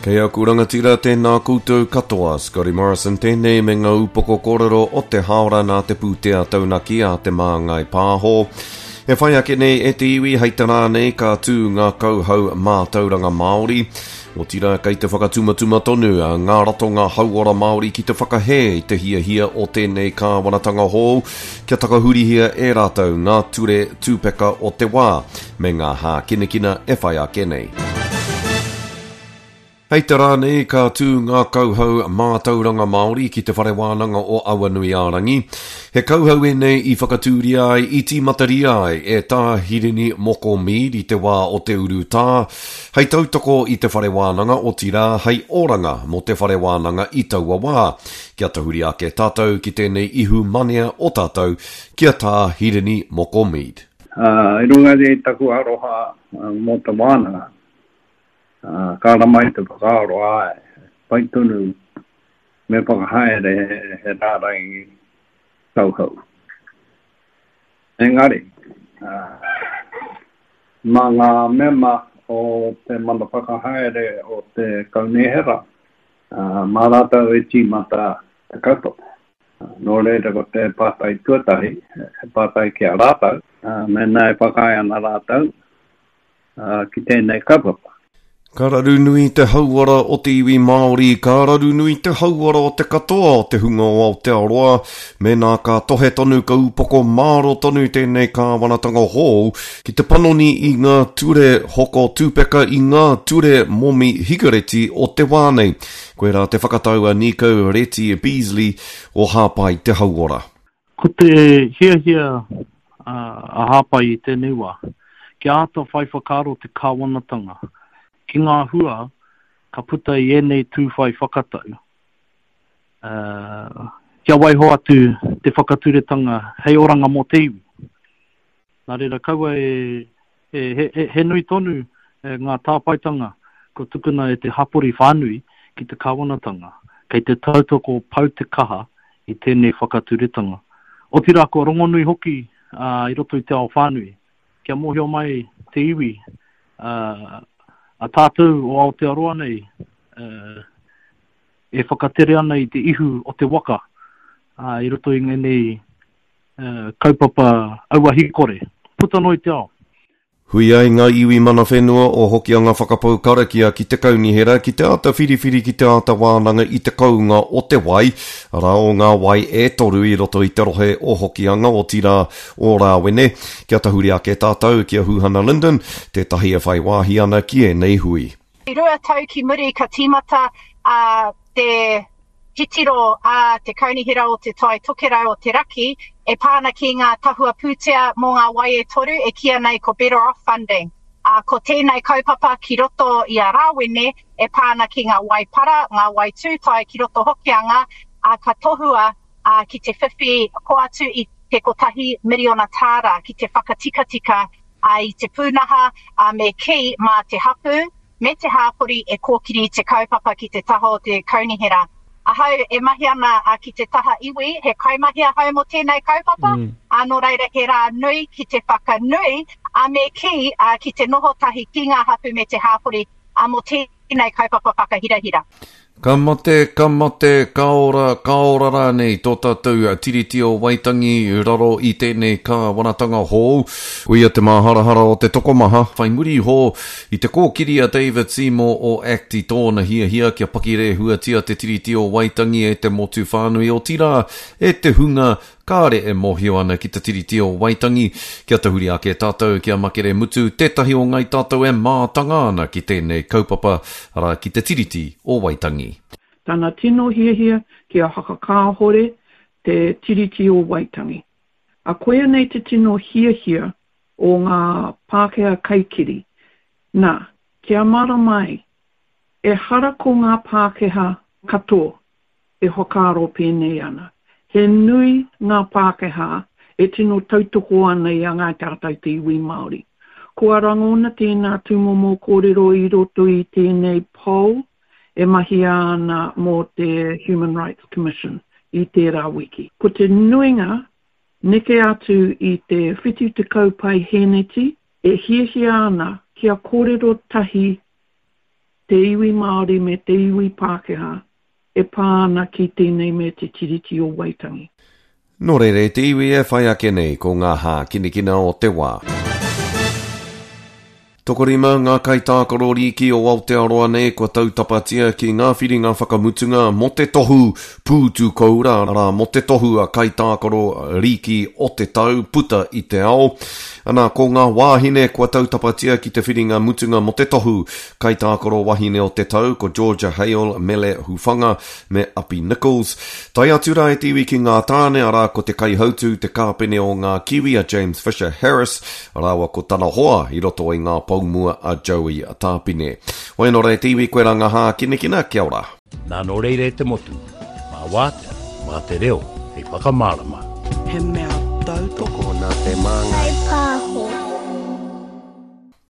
Kei aku rangatira, tēnā koutou katoa. Scotty Morrison tēnei me ngā upoko kōrero o te hāora nā te pūtea taunaki a Te Māngai Pāho. E whai ake nei e te iwi hei te rā nei ka tū ngā kauhau mātauranga Māori. Otirā kei te whakatumatuma tonu a ngā ratonga hauora Māori ki te whakahē i te hiahia o tēnei kāwanatanga hou kia takahurihia e rātou ngā ture tūpeka o te wā me ngā hākinakina e whai ake nei. Hei te rā nei ka tū ngā kauhau mātauranga Māori ki Te Whare Wānanga o Awanuiārangi. He kauhau ēnei i whakatūria ai, i tīmataria ai e Tā Hirini Moko Mead i te wā o te urutā, hei tautoko i te whare wānanga, otirā, hei oranga mō te whare wānanga i taua wā. Kia tahuri ake tātou ki tēnei ihu manea o tātou, ki a Tā Hirini Moko Mead. I runga i taku aroha mō te wānanga, ka ara mai te whakaaro, āe, pai tonu me whakahaere he rārangi tauhou. Engari, mā ngā mema o te Mana Whakahaere o te Kaunihera, mā rātou e tīmata te kaupapa. Nō reira ko te pātai tuatahi, he pātai ki a rātou, mēnā e whakaae ana rātou ki tēnei kaupapa. Ka raru nui te hauora o te iwi Māori, ka raru nui te hauora o te katoa o te hunga o Aotearoa, mēnā ka tohe tonu ka upoko māro tonu tēnei kāwanatanga hou ki te panoni i ngā ture hoko tūpeka, i ngā ture momi hikareti o te wā nei. Koirā te whakatau a Nico Reti Beazley o Hāpai Te Hauora. Ko te hiahia a Hāpai i tēnei wā, kia āta whai whakaaro te kāwanatanga ki ngā hua ka puta i ēnei tū whai whakatau, kia waiho atu te whakaturetanga hei oranga mō te iwi. Nā reira, kaua e He nui tonu ngā tāpaetanga kua tukuna e te hapori whānui ki te kāwanatanga, kei te tautoko pau te kaha i tēnei whakaturetanga. Otirā kua rongonui hoki i roto i te ao whānui, kia mōhio mai te iwi, a tātou o Aotearoa nei e whakatere ana i te ihu o te waka i roto i ngēnei kaupapa auahi kore, puta noa i te ao. Hui ai ngā iwi mana whenua o Hokianga whakapau karakia ki te kaunihera ki te āta whiriwhiri ki te āta wānanga i te kounga o te wai, arā o ngā wai e toru i roto i te rohe o Hokianga, otirā o Rāwene. Kia tahuri ake tātou ki a Huhana Lyndon, tētahi e whai wāhi ana ki ēnei hui. I rua tau ki muri ka tīmata a te titiro a te Kaunihera o Te Tai Tokerau o te Raki e pā ana ki ngā tahua pūtea mō ngā wai e toru e kīia nei ko Better Off Funding. Ā, ko tēnei kaupapa ki roto i a Rāwene e pā ana ki ngā wai para, ngā wai tūtai ki roto Hokianga, ā, ka tohua ā, ki te whiwhi ko atu i te kotahi miriona tāra ki te whakatikatika ā, i te pūnaha, ā, me kī mā te hapū, me te hāpori e kōkiri te kaupapa ki te taha o te kaunihera. Ahau e mahi ana ki te taha iwi, he kaimahi ahau mō tēnei kaupapa, ā, nō reira he rā nui ki te whakanui, ā, me kī, ki te noho tahi ki ngā hapū me te hāpori, ā, mō tēnei kaupapa whakahirahira. Ka mate, ka mate, ka ora, ka ora rānei tō tātou Tiriti o Waitangi i raro i tēnei kāwanatanga hou. Koia te māharahara o te tokomaha, whai muri iho i te kōkiri a David Seymour o act i tōna hiahia kia pakirehuatia te Tiriti o Waitangi e te motu whānui, otirā, e te hunga Kāre e mōhio ana ki te Tiriti o Waitangi, kia tahuri ake tātou ki a Makere Mutu, tētahi o ngai tātou e mātanga ana ki tēnei kaupapa, arā, ki te Tiriti o Waitangi. Tana tino hiahia kia whakakāhore te Tiriti o Waitangi. A koia nei te tino hiahia o ngā Pākehā kaikiri. Nā, kia mārama ai, ehara ko ngā Pākehā katoa e whakaaro pēnei ana. He nui ngā Pākehā e tino tautoko ana i a Ngāi Tātai te iwi Māori. Kua rangona tēnā tūmomo kōrero i roto i tēnei poll e mahia ana mō te Human Rights Commission i tērā wiki. Ko te nuinga, neke atu i te 70 paihēneti, e hiahia ana kia kōrero tahi. te iwi Māori me te iwi Pākehā e pā ana ki tēnei me Te Tiriti o Waitangi. Nō reira e te iwi e whai ake nei ko ngā hākinakina o te wā. Tokorima ngā kaitākaro rīki o Aotearoa nei kua tautapatia ki ngā whiringa whakamutunga mō te tohu pūtu koura, arā, mō te tohu a kaitākaro rīki o te tau puta i te ao. Ana, ko ngā wāhine kua tautapatia ki te whiringa mutunga mō te tohu kaitākaro wahine o te tau ko Georgia Hale, Mele Hufanga me Api Nichols. Tae atu rā e te iwi ki ngā tāne, arā, ko te kaihautū, te kāpene o ngā Kiwi a James Fisher Harris, rāua ko tana hoa i roto i ngā pou mua a Joey Tāpine. Hoi anō rā e te iwi, koirā ngā hākinakina, kia ora. Nā nō reira e te motu, mā wātea, mā te reo hei whakamārama. He mea tautoko. Tokona te māngai. Whai pāho.